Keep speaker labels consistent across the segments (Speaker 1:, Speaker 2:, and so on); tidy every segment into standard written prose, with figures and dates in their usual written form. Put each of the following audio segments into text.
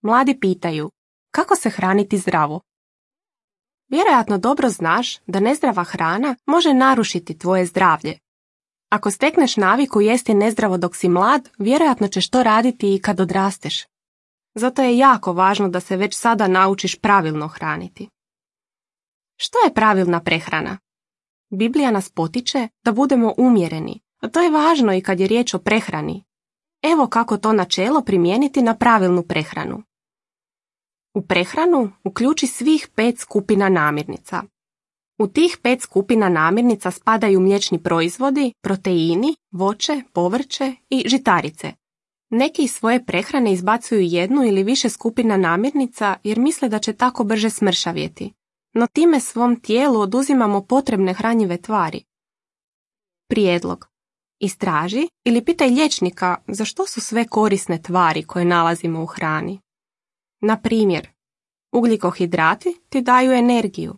Speaker 1: Mladi pitaju, kako se hraniti zdravo? Vjerojatno dobro znaš da nezdrava hrana može narušiti tvoje zdravlje. Ako stekneš naviku jesti nezdravo dok si mlad, vjerojatno ćeš to raditi i kad odrasteš. Zato je jako važno da se već sada naučiš pravilno hraniti. Što je pravilna prehrana? Biblija nas potiče da budemo umjereni, a to je važno i kad je riječ o prehrani. Evo kako to načelo primijeniti na pravilnu prehranu. U prehranu uključi svih 5 skupina namirnica. U tih 5 skupina namirnica spadaju mliječni proizvodi, proteini, voće, povrće i žitarice. Neki iz svoje prehrane izbacuju jednu ili više skupina namirnica jer misle da će tako brže smršavjeti. No time svom tijelu oduzimamo potrebne hranjive tvari. Prijedlog. Istraži ili pitaj liječnika za što su sve korisne tvari koje nalazimo u hrani. Na primjer, ugljikohidrati ti daju energiju.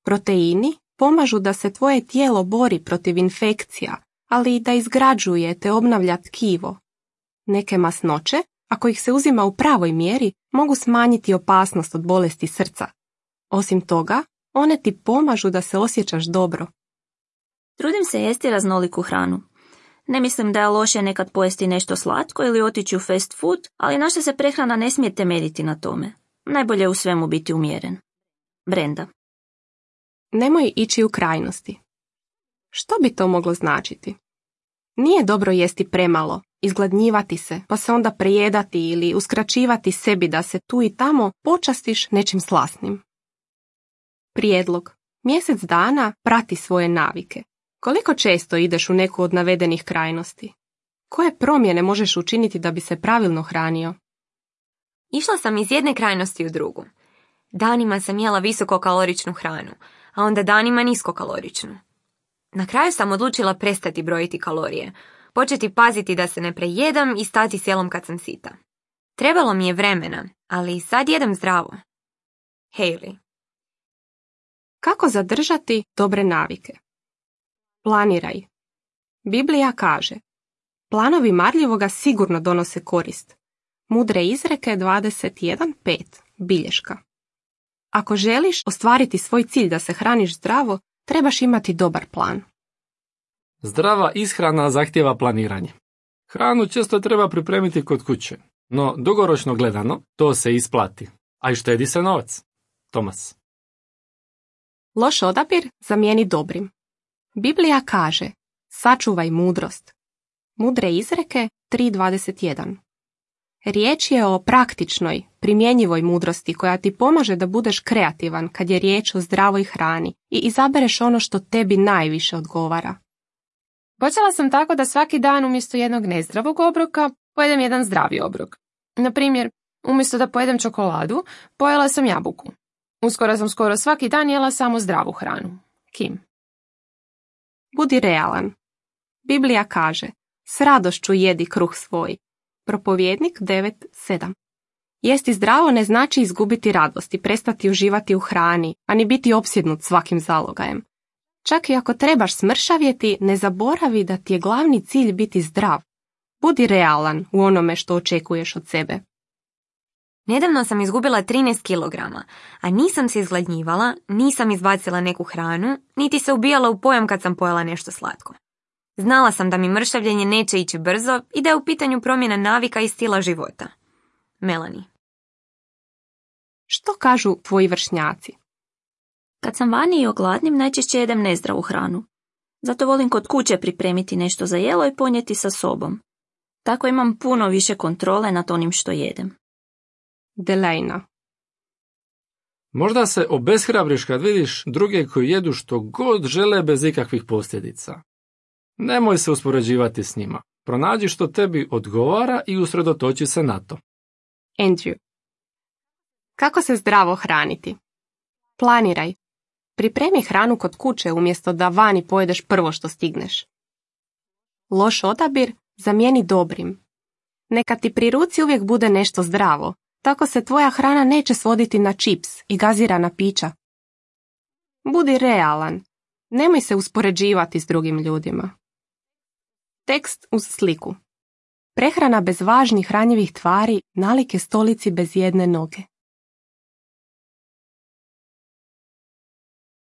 Speaker 1: Proteini pomažu da se tvoje tijelo bori protiv infekcija, ali i da izgrađuje te obnavlja tkivo. Neke masnoće, ako ih se uzima u pravoj mjeri, mogu smanjiti opasnost od bolesti srca. Osim toga, one ti pomažu da se osjećaš dobro.
Speaker 2: Trudim se jesti raznoliku hranu. Ne mislim da je loše nekad pojesti nešto slatko ili otići u fast food, ali naša se prehrana ne smije temeljiti na tome. Najbolje je u svemu biti umjeren. Brenda.
Speaker 1: Nemoj ići u krajnosti. Što bi to moglo značiti? Nije dobro jesti premalo, izgladnjivati se, pa se onda prejedati ili uskraćivati sebi da se tu i tamo počastiš nečim slasnim. Prijedlog. Mjesec dana prati svoje navike. Koliko često ideš u neku od navedenih krajnosti? Koje promjene možeš učiniti da bi se pravilno hranio?
Speaker 3: Išla sam iz jedne krajnosti u drugu. Danima sam jela visokokaloričnu hranu, a onda danima niskokaloričnu. Na kraju sam odlučila prestati brojiti kalorije, početi paziti da se ne prejedam i stati s jelom kad sam sita. Trebalo mi je vremena, ali sad jedem zdravo. Hailey.
Speaker 1: Kako zadržati dobre navike? Planiraj. Biblija kaže, planovi marljivoga sigurno donose korist. Mudre izreke 21.5. Bilješka. Ako želiš ostvariti svoj cilj da se hraniš zdravo, trebaš imati dobar plan.
Speaker 4: Zdrava ishrana zahtijeva planiranje. Hranu često treba pripremiti kod kuće, no dugoročno gledano to se isplati, a i štedi se novac. Tomas.
Speaker 1: Loš odabir zamijeni dobrim. Biblija kaže, sačuvaj mudrost. Mudre izreke 3.21. Riječ je o praktičnoj, primjenjivoj mudrosti koja ti pomaže da budeš kreativan kad je riječ o zdravoj hrani i izabereš ono što tebi najviše odgovara.
Speaker 5: Počela sam tako da svaki dan umjesto jednog nezdravog obroka pojedem jedan zdravi obrok. Na primjer, umjesto da pojedem čokoladu, pojela sam jabuku. Uskoro sam skoro svaki dan jela samo zdravu hranu. Kim.
Speaker 1: Budi realan. Biblija kaže, s radošću jedi kruh svoj. Propovjednik 9.7. Jesti zdravo ne znači izgubiti radost i prestati uživati u hrani, a ni biti opsjednut svakim zalogajem. Čak i ako trebaš smršavjeti, ne zaboravi da ti je glavni cilj biti zdrav. Budi realan u onome što očekuješ od sebe.
Speaker 3: Nedavno sam izgubila 13 kilograma, a nisam se izgladnjivala, nisam izbacila neku hranu, niti se ubijala u pojam kad sam pojela nešto slatko. Znala sam da mi mršavljenje neće ići brzo i da je u pitanju promjena navika i stila života. Melanie.
Speaker 1: Što kažu tvoji vršnjaci?
Speaker 2: Kad sam vani i ogladnim, najčešće jedem nezdravu hranu. Zato volim kod kuće pripremiti nešto za jelo i ponijeti sa sobom. Tako imam puno više kontrole nad onim što jedem.
Speaker 1: Delejna.
Speaker 4: Možda se obeshrabriš kad vidiš druge koji jedu što god žele bez ikakvih posljedica. Nemoj se uspoređivati s njima. Pronađi što tebi odgovara i usredotoči se na to.
Speaker 1: Andrew. Kako se zdravo hraniti? Planiraj. Pripremi hranu kod kuće umjesto da vani pojedeš prvo što stigneš. Loš odabir zamijeni dobrim. Neka ti pri ruci uvijek bude nešto zdravo. Tako se tvoja hrana neće svoditi na čips i gazirana pića. Budi realan. Nemoj se uspoređivati s drugim ljudima. Tekst uz sliku. Prehrana bez važnih hranjivih tvari nalik je stolici bez jedne noge.